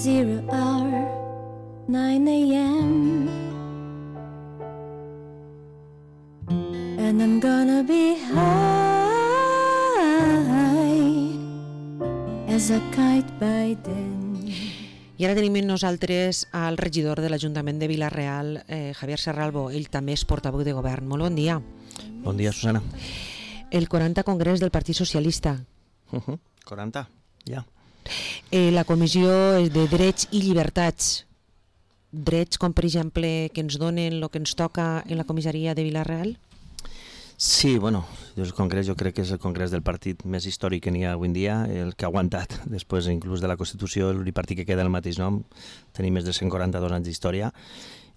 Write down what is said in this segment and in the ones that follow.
0 hour, 9 a.m. And I'm gonna be high as a kite by then. I ara tenim amb nosaltres al regidor de l'Ajuntament de Vila-real, Javier Serralbo. Ell també és portaveu de govern. Molt bon dia. Bon dia, Susana. El 40 Congrés del Partit Socialista. 40, ja. La Comissió de Drets i Llibertats. Drets com, per exemple, que ens donen el que ens toca en la comissaria de Vila-real? Sí, bueno, el congrés jo crec que és el congrés del partit més històric que n'hi ha avui en dia, el que ha aguantat després inclús de la Constitució, l'únic partit que queda el mateix nom, tenim més de 142 anys d'història,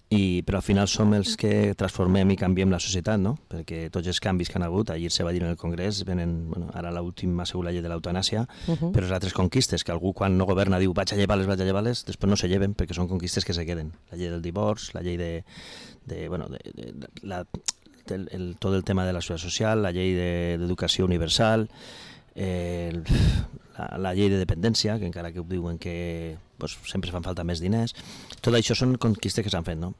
però al final som els que transformem i canviem la societat, no? Perquè tots els canvis que han hagut, ahir se va dir en el congrés, venen, bueno, ara l'última ha sigut la llei de l'eutanàsia, però les altres conquistes, que algú quan no governa diu vaig a llevar-les, després no se lleven perquè són conquistes que se queden. La llei del divorç, la llei tot el tema de la seguretat social, la llei d'educació universal, la llei de dependència, que encara que ho diuen que sempre fan falta més diners, tot això són conquistes que s'han fet, no?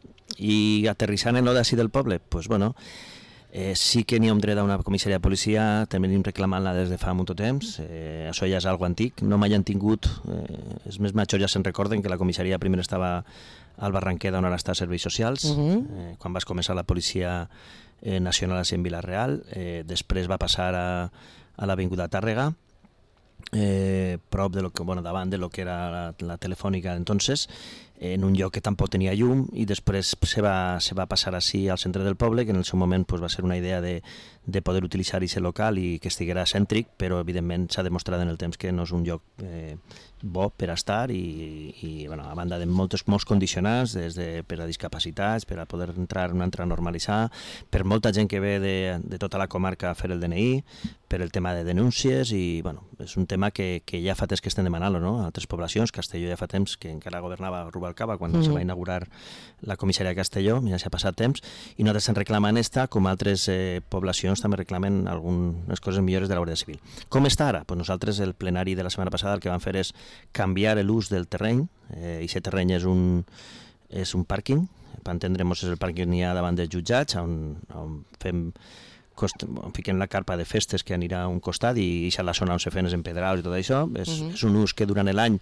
I aterrissant en l'ací del poble, sí que n'hi ha un dret a una comissaria de policia, també n'hem reclamant-la des de fa molt temps, això ja és algo antic, no mai han tingut, els més majors ja se'n recorden que la comissaria primer estava al Barranquer, on ara està a Serveis Socials, quan vas començar la policia nacional en Vila-real, després va passar a l'Avinguda Tàrrega, prop de davant de lo que era la telefònica entonces, en un lloc que tampoc tenia llum, i després se va passar així al centre del poble, que en el seu moment va ser una idea de poder utilitzar aquest local i que estiguera cèntric, però evidentment s'ha demostrat en el temps que no és un lloc bo per estar i a banda de molts condicionants, per a discapacitats, per a poder entrar normalitzar, per molta gent que ve de tota la comarca a fer el DNI, per el tema de denúncies, i és un tema que ja fa temps que estem demanant-lo, no? A altres poblacions, Castelló ja fa temps que encara governava Rubalcaba quan se va inaugurar la comissaria de Castelló, ja s'ha passat temps, i nosaltres en reclamem esta, com altres poblacions també reclamen algunes coses millores de la Guàrdia Civil. Com està ara? Nosaltres, el plenari de la setmana passada, el que vam fer és canviar l'ús del terreny, i aquest terreny és un pàrquing, per entendre'ns és el pàrquing que n'hi ha davant dels jutjats, on fiquem la carpa de festes que anirà a un costat i a la zona on se fan els empedrals i tot això. És un ús que durant l'any,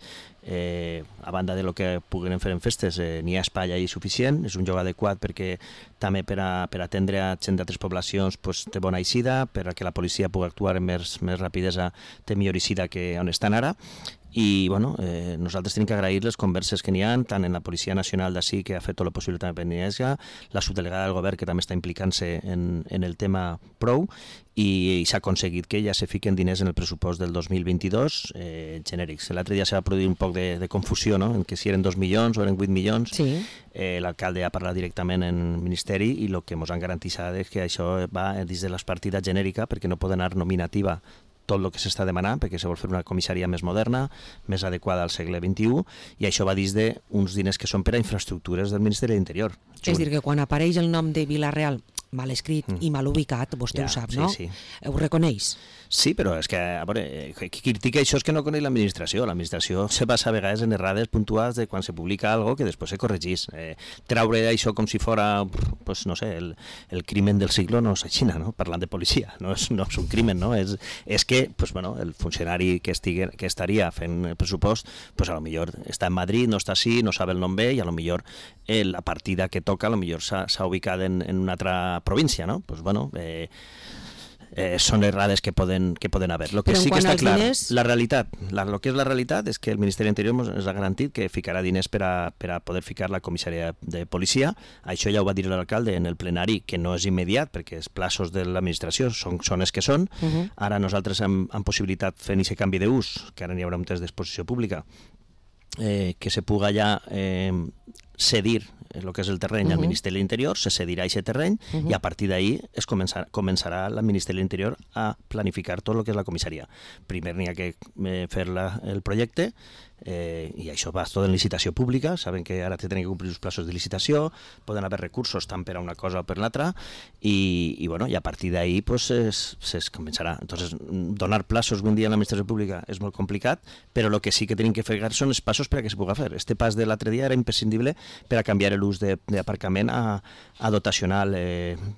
a banda de lo que puguem fer en festes, n'hi ha espai allà suficient, és un lloc adequat perquè també per atendre a gent d'altres poblacions té bona eixida, perquè la policia pugui actuar amb més rapidesa, té millor eixida que on estan ara. I nosaltres tenim que agrair les converses que n'hi ha, tant en la Policia Nacional d'ací, que ha fet tot el possible també per Indonesia, la subdelegada del govern, que també està implicant-se en el tema prou, i s'ha aconseguit que ja se fiquen diners en el pressupost del 2022 genèrics. L'altre dia se va produir un poc de confusió, no?, en que si eren 2 milions o eren 8 milions. Sí. L'alcalde ha parlat directament en el Ministeri i el que ens han garantit és que això va dins de les partides genèrica, perquè no pot anar nominativa tot el que s'està demanant, perquè se vol fer una comissaria més moderna, més adequada al segle XXI, i això va dins d'uns diners que són per a infraestructures del Ministeri de l'Interior. És a dir, que quan apareix el nom de Vila-real mal escrit i mal ubicat, vostè ho sap, no? Sí. Ho reconeix? Sí, però és que, a veure, qui critica això és que no coneix l'administració. L'administració se basa a vegades en errades puntuals de quan se publica algo que després se corregís. Treure això com si fora, no sé, el crimen del siglo no és així, no? Parlant de policia, no és un crimen, no? És que, el funcionari que estaria fent el pressupost, a lo millor està en Madrid, no està així, no sap el nom bé, i a lo millor la partida que toca a lo millor s'ha ubicat en una altra província, no? Són errades que poden haver. Lo que sí que està clar, la realitat, el que és la realitat és que el Ministeri de l'Interior ens ha garantit que ficarà diners per a poder ficar la comissaria de policia. Això ja ho va dir l'alcalde en el plenari, que no és immediat, perquè els plaços de l'administració són els que són. Ara nosaltres amb possibilitat fent aquest canvi d'ús, que ara n'hi haurà un test d'exposició pública, que se puga ja cedir el que és el terreny al Ministeri de l'Interior, se cedirà aquest terreny i a partir d'ahí començarà el Ministeri de l'Interior a planificar tot el que és la comissaria. Primer n'hi ha que fer el projecte, i això va tot en licitació pública, saben que ara tenen que complir els plaços de licitació, poden haver recursos tant per a una cosa o per l'altra, i a partir d'ahí es començarà. Entonces, donar plaços un dia a l'administració pública és molt complicat, però el que sí que tenim que fer són els passos per a que se pugui fer. Este pas de l'altre dia era imprescindible per a canviar l'ús d'aparcament a dotacional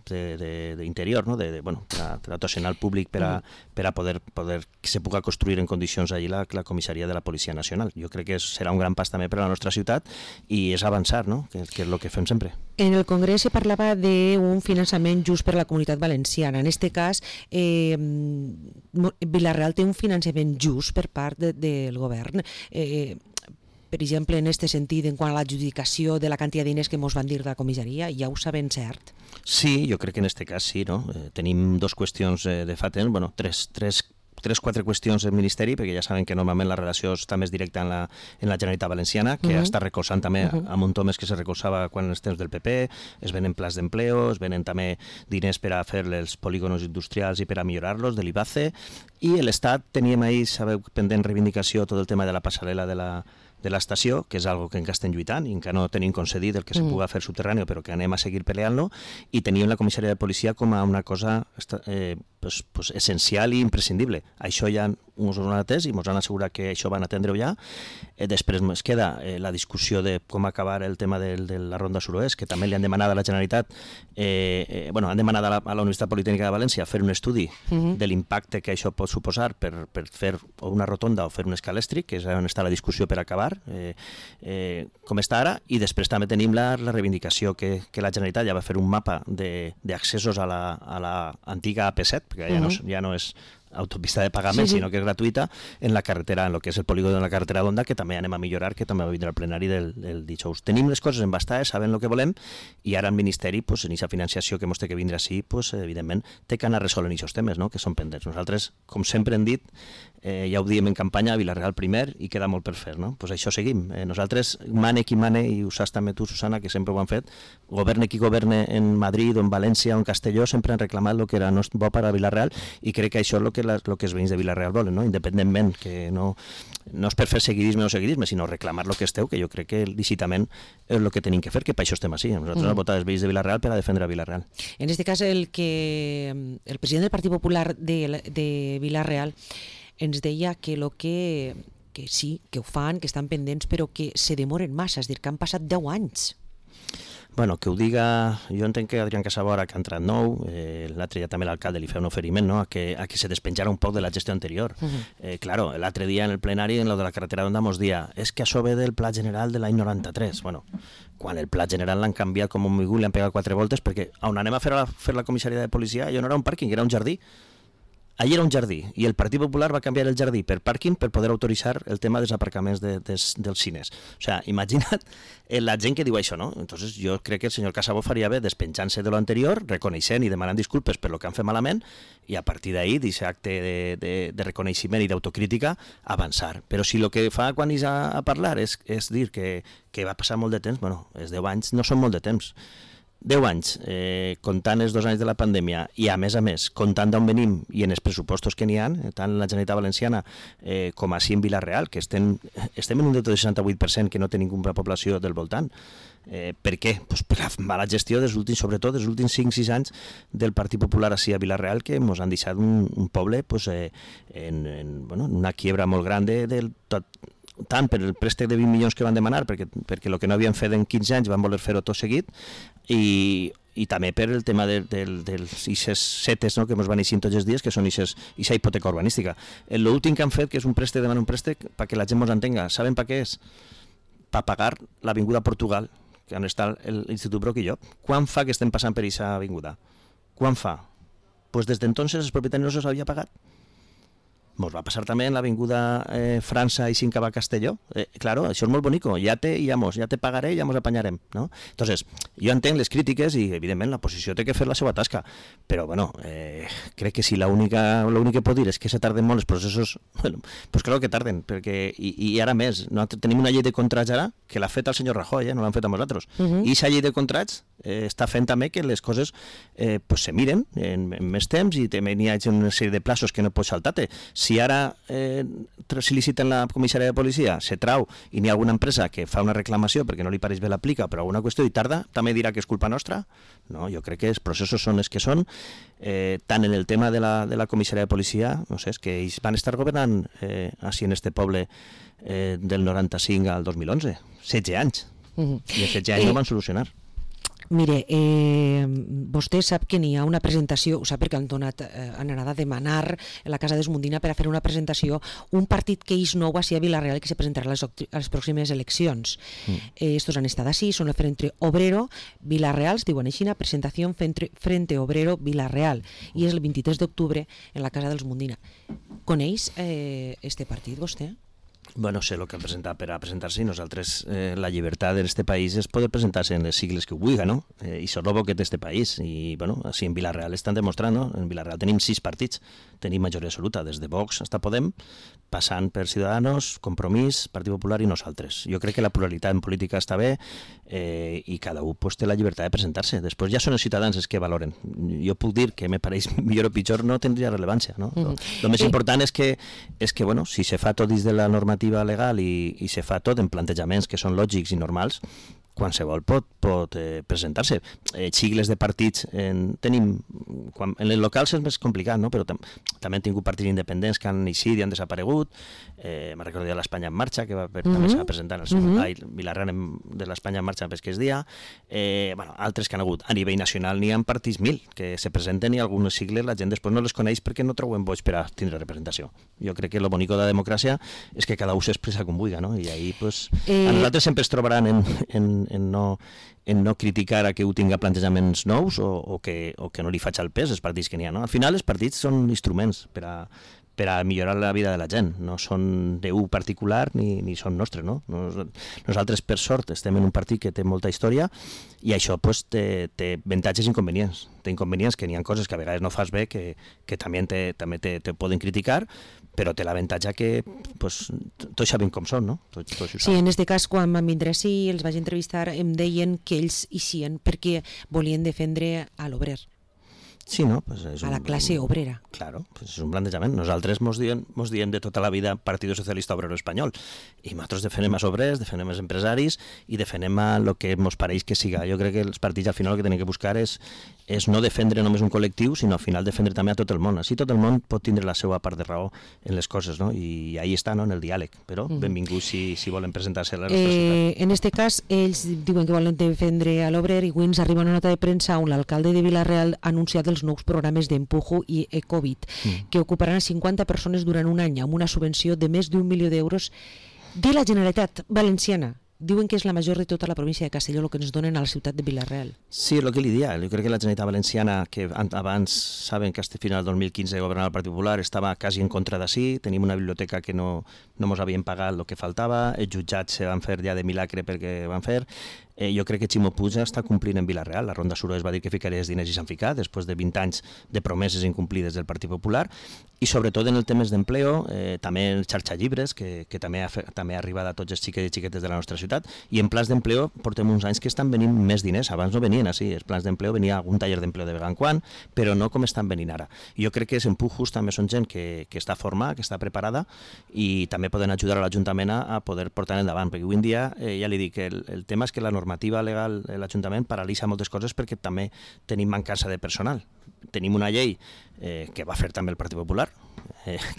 d'interior, no? Dotacional públic per a poder que se pugui construir en condicions allí la comissaria de la Policia Nacional. Jo crec que serà un gran pas també per a la nostra ciutat i és avançar, no? Que és el que fem sempre. En el Congrés se parlava d'un finançament just per a la Comunitat Valenciana. En aquest cas, Vila-real té un finançament just per part del govern. Per exemple, en aquest sentit, en quant a l'adjudicació de la quantitat de diners que ens van dir de la comissaria, ja ho sabem cert? Sí, jo crec que en aquest cas sí, no? Tenim dues qüestions de fa temps, bueno, quatre qüestions del Ministeri, perquè ja saben que normalment la relació està més directa en la Generalitat Valenciana, que està recolzant també a Montomes, que se recolzava quan en els temps del PP, es venen plans d'empleo, es venen també diners per a fer els polígonos industrials i per a millorar-los, de l'IBACE, i l'Estat teníem ahir, sabeu, pendent reivindicació tot el tema de la passarel·la de l'estació, que és algo que encara estem lluitant i encara no tenim concedit el que se pugui fer subterrani, però que anem a seguir peleant-lo, i teníem la comissaria de policia com a una cosa essencial i imprescindible. Això ja ens ho han atès i ens han assegurat que això van atendre-ho ja. Després ens queda la discussió de com acabar el tema de la Ronda Suroest, que també li han demanat a la Generalitat, han demanat a la Universitat Politècnica de València fer un estudi de l'impacte que això pot suposar per fer una rotonda o fer un escalèstric, que és on està la discussió per acabar, com està ara, i després també tenim la reivindicació que la Generalitat ja va fer un mapa d'accessos a l'antiga AP7, perquè ja no és autopista de pagament, sinó que és gratuïta en la carretera, en el que és el polígon de la carretera d'Onda, que també anem a millorar, que també va vindre al plenari del dijous. Tenim les coses embastades, sabem el que volem, i ara el Ministeri, en aquesta financiació que ens té que vindre així, evidentment, té que anar resolent aquests temes, que són pendents. Nosaltres, com sempre hem dit, ja ho diem en campanya, a Vila-real primer, i queda molt per fer, no? Això seguim. Nosaltres, mane qui mane, i ho saps també tu, Susana, que sempre ho han fet, governe qui governe en Madrid o en València o en Castelló, sempre han reclamat el que era bo per a Vila-real, i crec que això és el que els veïns de Vila-real volen, no? Independentment, que no és per fer seguidisme o no seguidisme, sinó reclamar el que esteu, que jo crec que lícitament és el que tenim que fer, que per això estem així. Nosaltres hem votat els veïns de Vila-real per a defendre a Vila-real. En aquest cas, el president del Partit Popular de Vila-real ens deia que sí, que ho fan, que estan pendents, però que se demoren massa, és a dir, que han passat 10 anys. Bueno, que ho diga, jo entenc que Adrián Casabora, que ha entrat nou, l'altre dia també l'alcalde li feia un oferiment, no? a que se despenjara un poc de la gestió anterior. Claro, l'altre dia en el plenari, en lo de la carretera d'Onda, mos dia, és que això ve del Pla General de l'any 93. Bueno, quan el Pla General l'han canviat com un migú, li han pegat 4 voltes, perquè on anem a fer la comissaria de policia, allò no era un pàrquing, era un jardí. Allí era un jardí, i el Partit Popular va canviar el jardí per pàrquing per poder autoritzar el tema dels aparcaments dels cines. O sea, imagina't la gent que diu això, no? Entonces jo crec que el senyor Casabó faria bé despenjant-se de l'anterior, reconeixent i demanant disculpes per lo que han fet malament, i a partir d'ahí, d'aquest acte de reconeixement i d'autocrítica, avançar. Però si el que fa quan és a parlar és dir que va passar molt de temps, bueno, els 10 anys no són molt de temps. 10 anys, comptant els 2 anys de la pandèmia i a més, comptant d'on venim i en els pressupostos que n'hi ha, tant en la Generalitat Valenciana com així en Vila-real, que estem en un deute de 68% que no té ninguna població del voltant. Per què? Pues per la mala gestió sobretot dels últims 5-6 anys del Partit Popular així a Vila-real, que ens han deixat un poble en una quiebra molt gran tant per el préstec de 20 milions que van demanar, perquè el que no havien fet en 15 anys van voler fer-ho tot seguit, i també per el tema dels ixes setes, no?, que ens van eixir tots els dies, que són ixa hipoteca urbanística. L'últim que han fet, que és un préstec, demanar un préstec, perquè la gent ens entenga, saben per què és? Per pagar l'avinguda Portugal, que on està l'Institut Broc i Llop. Quan fa que estem passant per aquesta avinguda? Quan fa? Pues des d'entonces els propietaris no se'ls havia pagat. Mos va passar també en l'avinguda França i sin cap a Castelló. Claro, això és molt bonico, ja te pagaré, ja mos apanyarem, no? Entonces, jo entenc les crítiques i, evidentment, la posició té que fer la seva tasca, però, bueno, crec que si l'únic que pot dir és que se tarden molt els processos, bueno, pues claro que tarden, perquè, i ara més, tenim una llei de contrats ara que l'ha fet el senyor Rajoy, no l'han fet a nosaltres, i aquesta llei de contrats està fent també que les coses pues se miren en més temps i també n'hi ha una sèrie de plaços que no pots saltar-te. Si ara se licita en la comissària de policia, se trau i n'hi ha alguna empresa que fa una reclamació perquè no li pareix bé l'aplica per alguna qüestió i tarda, també dirà que és culpa nostra? No, jo crec que els processos són els que són, tant en el tema de la comissària de policia, no sé, és que ells van estar governant així en este poble del 95 al 2011, 16 anys, i els 16 anys no van solucionar. Mire, vostè sap que n'hi ha una presentació, ho sap perquè han anat a demanar a la Casa d'Esmundina per a fer una presentació, un partit que és nou així a Vila-real que se presentarà a les pròximes eleccions. Estos han estat així, són el Frente Obrero Vila-real, es diuen així, presentació Frente Obrero Vila-real, i és el 23 d'octubre en la Casa d'Esmundina. Coneix este partit, vostè? Bueno, sé el que han presentat per a presentar-se i nosaltres la llibertat en este país és poder presentar-se en les sigles que ho vulgui, no? I això és el bo que té este país. I, bueno, així en Vila-real estan demostrant, no? En Vila-real tenim 6 partits, tenim majoria absoluta, des de Vox fins a Podem, passant per Ciudadanos, Compromís, Partit Popular i nosaltres. Jo crec que la pluralitat en política està bé i cada un pues, té la llibertat de presentar-se. Després ja són els ciutadans els que valoren. Jo puc dir que me pareix millor o pitjor no tindria rellevància, no? Lo més important és que bueno, si se fa tot dins de la normativa legal i se fa tot en plantejaments que són lògics i normals, qualsevol pot presentar-se. Sigles de partits tenim... En els locals és més complicat, no? Però també hem tingut partits independents que han eixit i han desaparegut. Me recordo de l'Espanya en Marxa, que també s'ha presentat al Vila-real de l'Espanya en Marxa perquè és dia. Altres que han hagut. A nivell nacional n'hi ha partits 1.000 que se presenten i algunes sigles la gent després no les coneix perquè no troben boig per a tindre representació. Jo crec que el bonico de la democràcia és que cada un s'expressa com vulgui, no? I ahí, pues, a nosaltres sempre es trobaran en no criticar a que ho tinga plantejaments nous o que no li faig el pes als partits que n'hi ha. No? Al final els partits són instruments per a millorar la vida de la gent, no són d'un particular ni són nostres. No? Nosaltres, per sort, estem en un partit que té molta història i això pues, té avantatges i inconvenients. Té inconvenients que n'hi ha coses que a vegades no fas bé, que també te poden criticar, però té l'avantatge que pues, tots sabem com són, no? Sí, en aquest cas, quan van vindre així, els vaig entrevistar, em deien que ells eixien perquè volien defendre a l'obrer. Sí, no? Pues a la classe obrera. Claro, pues és un plantejament. Nosaltres mos diem de tota la vida Partido Socialista Obrero Espanyol i nosaltres defenem els obrers, defenem els empresaris i defenem el que mos pareix que siga. Jo crec que els partits al final el que tenen que buscar és no defendre només un col·lectiu, sinó al final defendre també a tot el món. Així tot el món pot tindre la seva part de raó en les coses, no? I ahí està, no? En el diàleg. Però benvinguts si volen presentar-se a la nostra ciutat. En aquest cas, ells diuen que volen defendre a l'obrer i avui ens arriba una nota de premsa on l'alcalde de Vila-real ha anunciat els nous programes d'Empujo i Ecovid, que ocuparan 50 persones durant un any amb una subvenció de més d'1 milió d'euros de la Generalitat Valenciana. Diuen que és la major de tota la província de Castelló el que ens donen a la ciutat de Vila-real. Sí, el que li dia. Jo crec que la Generalitat Valenciana, que abans saben que fins al 2015 governava el Partit Popular, estava quasi en contra d'ací, tenim una biblioteca que no mos havien pagat el que faltava, els jutjats se van fer ja de milagre perquè van fer. Jo crec que Ximo Puig està complint en Vila-real. La Ronda Suro es va dir que ficaria els diners i s'han ficat, després de 20 anys de promeses incomplides del Partit Popular, i sobretot en el temes d'empleo, també en xarxa llibres, que també ha arribat a tots els xiquets i xiquetes de la nostra ciutat, i en plans d'empleo portem uns anys que estan venint més diners. Abans no venien així, els plans d'empleo venia algun taller d'empleo de vegada en quan, però no com estan venint ara. I jo crec que els empujos també són gent que està formada, que està preparada, i també poden ajudar a l'Ajuntament a poder portar endavant, perquè avui en dia, ja li dic, el tema és que la normativa legal de l'Ajuntament paralitza moltes coses perquè també tenim mancança de personal. Tenim una llei que va fer també el Partit Popular,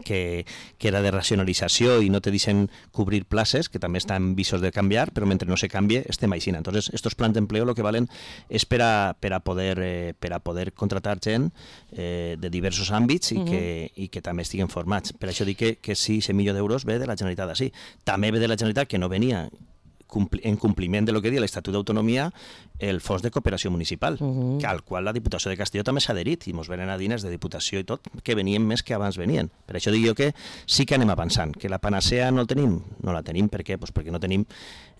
que era de racionalització i no te deixen cobrir places, que també estan visos de canviar, però mentre no se canvie estem així. Entonces, estos plans d'empleo lo que valen és per a poder contratar gent de diversos àmbits i que també estiguen formats. Per això dic que sí, 100 milions d'euros ve de la Generalitat d'ací. També ve de la Generalitat, que no venia en compliment de lo que diu l'Estatut d'Autonomia, el fons de cooperació municipal, al qual la Diputació de Castelló també s'ha adherit i ens venen a diners de Diputació i tot, que venien més que abans venien. Per això dic jo que sí que anem avançant, que la panacea no la tenim. No la tenim, per què? Pues perquè no tenim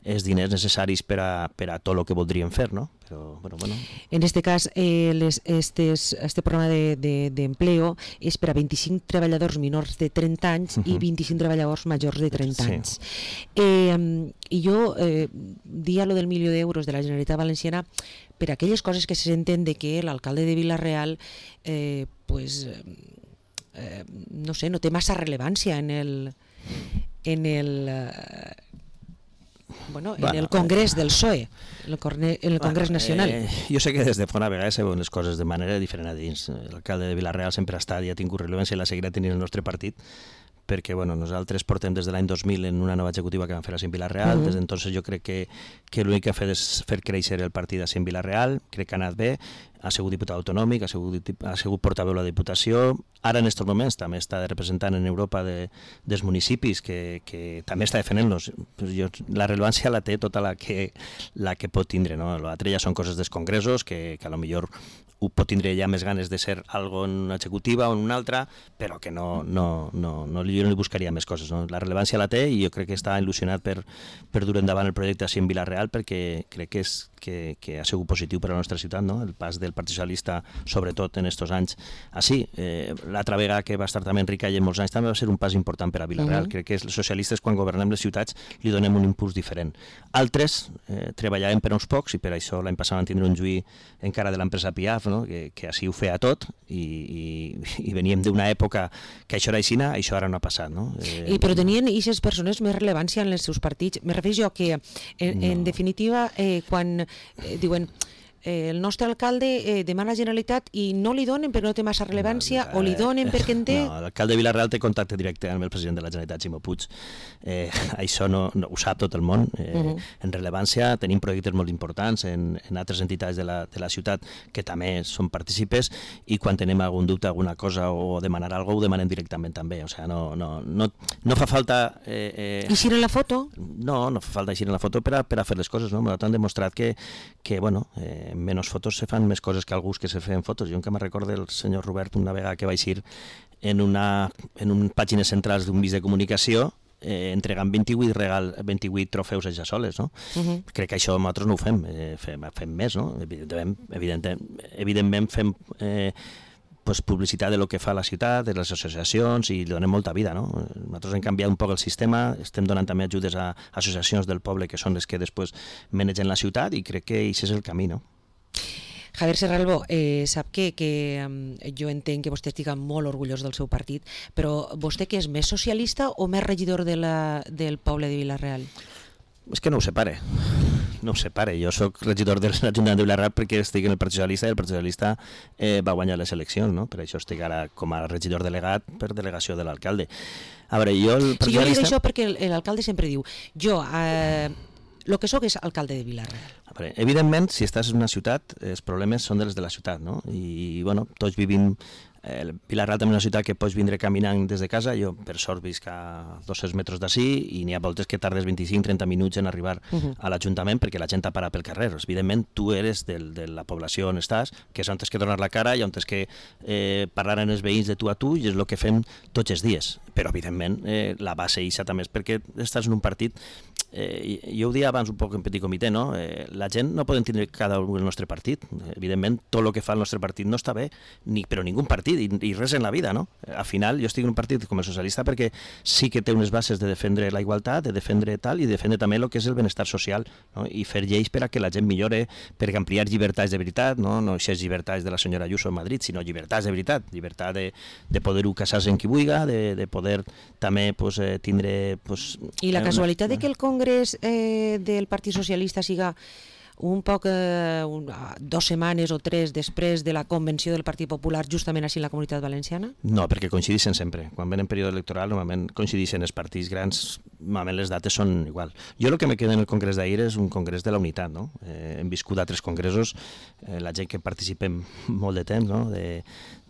els diners necessaris per a tot el que voldríem fer, no? Però, bueno. En este cas, este programa d'empleo és per a 25 treballadors menors de 30 anys i 25 treballadors majors de 30 anys. I jo dia lo del milió d'euros de la Generalitat Valenciana per aquelles coses que se senten de que l'alcalde de Vila-real no sé, no té massa rellevància en el Congrés del PSOE, en el Congrés Nacional. Jo sé que des de fora a vegades se veuen les coses de manera diferent a dins. L'alcalde de Vila-real sempre ha estat i ha tingut rellevància i la seguirà tenint el nostre partit, perquè nosaltres portem des de l'any 2000 en una nova executiva que vam fer a Cent Vila-real. Des d'entonces jo crec que l'únic que ha fet és fer créixer el partit a Cent Vila-real, crec que ha anat bé, ha sigut diputat autonòmic, ha sigut portaveu de la Diputació, ara en aquests moments també està representant en Europa dels municipis que també està defendent-los. La rellevància la té tota la que pot tindre, no? L'altre ja són coses dels congressos que a lo millor ho pot tindre ja més ganes de ser algo en una executiva o en una altra, però que jo no li buscaria més coses, no? La rellevància la té i jo crec que està il·lusionat per dur endavant el projecte així en Vila-real, perquè crec que ha sigut positiu per a la nostra ciutat, no? El pas del Partit Socialista, sobretot en aquests anys així. L'altra vegada que va estar també Enric Calle molts anys també va ser un pas important per a Vila-real. Crec que els socialistes quan governem les ciutats li donem un impuls diferent. Altres treballaven per uns pocs i per això l'any passat van tindre un juí encara de l'empresa Piaf, no? Que així ho feia tot i veníem d'una època que això era aixina, això ara no ha passat, no? Però tenien aquestes persones més rellevància en els seus partits? Me refereixo a que en definitiva quan diuen el nostre alcalde demana a la Generalitat i no li donen perquè no té massa rellevància o li donen perquè en té... No, l'alcalde de Vila-real té contacte directe amb el president de la Generalitat, Ximo Puig. Això no ho sap tot el món. En rellevància tenim projectes molt importants en altres entitats de la ciutat que també són partícipes i quan tenim algun dubte, alguna cosa o demanar alguna cosa, ho demanem directament també. O sigui, no fa falta... Eixir en la foto? No fa falta eixir en la foto per a fer les coses, no? M'han demostrat que en menys fotos se fan més coses que alguns que se feien fotos. Jo encara me'n recordo del senyor Robert una vegada que va eixir en un pàgines centrals d'un mig de comunicació entregant 28 trofeus a Jassoles, no? Crec que això nosaltres no ho fem, fem més, no? Evidentment fem publicitat de lo que fa la ciutat, de les associacions i li donem molta vida, no? Nosaltres hem canviat un poc el sistema, estem donant també ajudes a associacions del poble que són les que després manegen la ciutat i crec que aquest és el camí, no? Javier Serralbo, sap que jo entenc que vostè estigui molt orgullós del seu partit, però vostè que és més socialista o més regidor del poble de Vila-real? És que no ho separe. Jo soc regidor de l'Ajuntament de Vila-real perquè estic en el Partit Socialista i el Partit Socialista va guanyar les eleccions, no? Per això estic ara com a regidor delegat per delegació de l'alcalde. A veure, jo... Sí, jo li dic això perquè l'alcalde sempre diu el que sóc és alcalde de Vila-real. Evidentment, si estàs en una ciutat, els problemes són dels de la ciutat, no? I, tots vivim... Vila-real també és una ciutat que pots vindre caminant des de casa. Jo, per sort, visc a 200 metres d'ací i n'hi ha voltes que tardes 25-30 minuts en arribar a l'Ajuntament perquè la gent t'ha parat pel carrer. Evidentment, tu eres de la població on estàs, que és on tens que donar la cara i on tens que parlar amb els veïns de tu a tu, i és el que fem tots els dies. Però, evidentment, la base ixa també és perquè estàs en un partit... jo ho dia abans un poc en petit comitè, no? La gent no podem tindre cada un el nostre partit. Evidentment, tot el que fa el nostre partit no està bé, però ningú partit i res en la vida, no? Al final, jo estic en un partit com el socialista perquè sí que té unes bases de defendre la igualtat, de defendre tal, i de defendre també el que és el benestar social, no? I fer lleis per a que la gent millore, per ampliar llibertats de veritat, no aquestes llibertats de la senyora Ayuso a Madrid, sinó llibertats de veritat, llibertat de poder-ho casar-se amb qui vulgui, de poder també tindre... I la casualitat de que el Congrés del Partit Socialista siga un poc 2 setmanes o 3 després de la convenció del Partit Popular justament així en la Comunitat Valenciana? No, perquè coincideixen sempre. Quan ven en període electoral normalment coincideixen els partits grans normalment les dates són igual. Jo el que me queda en el congrés d'ahir és un congrés de la unitat, no? Hem viscut altres congressos, la gent que participem molt de temps, no?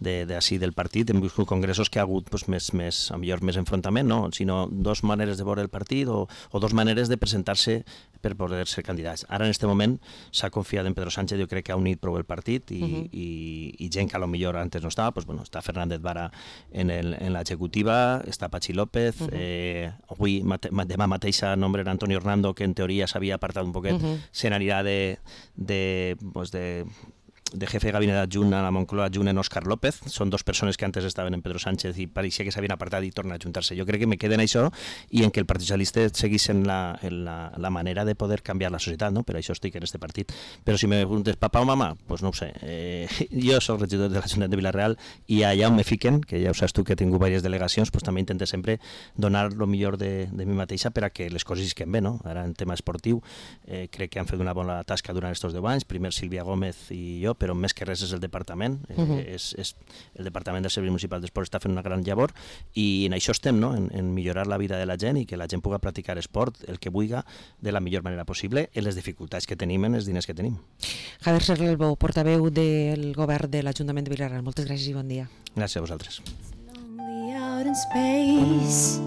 D'ací del partit, hem viscut congressos que ha hagut pues, més enfrontament, no? Sinó dos maneres de veure el partit o dos maneres de presentar-se per poder ser candidats. Ara, en aquest moment, s'ha confiat en Pedro Sánchez, jo crec que ha unit prou el partit i gent que a lo millor antes no estava, pues, bueno, està Fernández Vara en l'executiva, està Pachi López, avui, demà mateix nombren Antonio Hernando, que en teoria s'havia apartat un poquet, se n'anirà de jefe de gabinet adjunt a la Moncloa adjunt en Òscar López. Són dos persones que antes estaven en Pedro Sánchez i pareixia que s'havien apartat i tornen a ajuntar-se. Jo crec que me queda en això i en que el Partit Socialista seguís en la manera de poder canviar la societat, no? Per això estic en este partit. Però si me preguntes papà o mamà, pues no ho sé. Jo soc regidor de l'Ajuntament de Vila-real i allà on me fiquen, que ja ho saps tu que he tingut diverses delegacions, pues també intento sempre donar el millor de mi mateixa per a que les coses isquen bé, no? Ara en tema esportiu crec que han fet una bona tasca durant aquests 10 anys, primer Sílvia Gómez i jo, però més que res és el departament, és el Departament del Servei Municipal d'Esport està fent una gran llavor i en això estem, no? en millorar la vida de la gent i que la gent pugui practicar esport, el que vulgui, de la millor manera possible, en les dificultats que tenim, en els diners que tenim. Javier Serralbo, portaveu del govern de l'Ajuntament de Vila-real. Moltes gràcies i bon dia. Gràcies a vosaltres. Lonely out in space,